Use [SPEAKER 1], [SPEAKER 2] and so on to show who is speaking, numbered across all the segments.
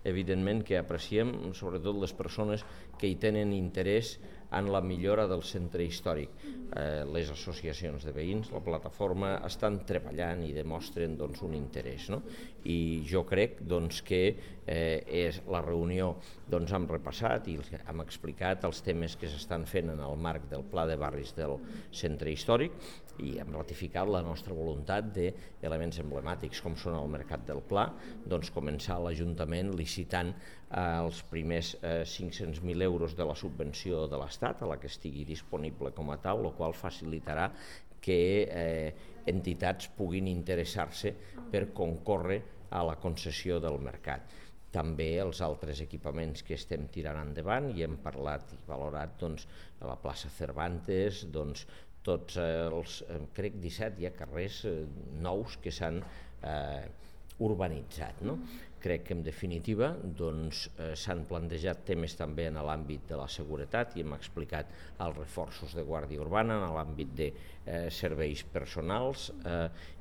[SPEAKER 1] evidentment que apreciem sobretot les persones que hi tenen interès en la millora del centre històric. Les associacions de veïns, la plataforma, estan treballant i demostren un interès. I jo crec que la reunió hem repassat i hem explicat els temes que s'estan fent en el marc del Pla de Barris del centre històric i hem ratificat la nostra voluntat d'elements emblemàtics com són el Mercat del Pla, començar l'Ajuntament licitant els primers 500.000 euros de la subvenció de l'Estat, a la que estigui disponible com a tal, el qual facilitarà que entitats puguin interessar-se per concórrer a la concessió del mercat. També els altres equipaments que estem tirant endavant i hem parlat i valorat a la plaça Cervantes, tots els, crec 17 hi ha carrers nous que s'han urbanitzat. Crec que en definitiva s'han plantejat temes també en l'àmbit de la seguretat i hem explicat els reforços de Guàrdia Urbana en l'àmbit de serveis personals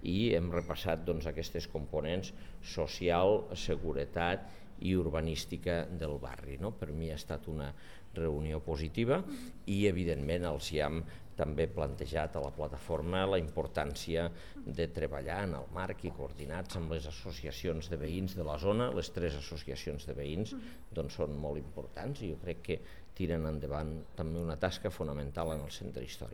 [SPEAKER 1] i hem repassat aquestes components social, seguretat i urbanística del barri. Per mi ha estat una reunió positiva i evidentment els hem també plantejat a la plataforma la importància de treballar en el marc i coordinats amb les associacions de veïns de la zona. Les 3 associacions de veïns són molt importants i jo crec que tiren endavant també una tasca fonamental en el centre històric.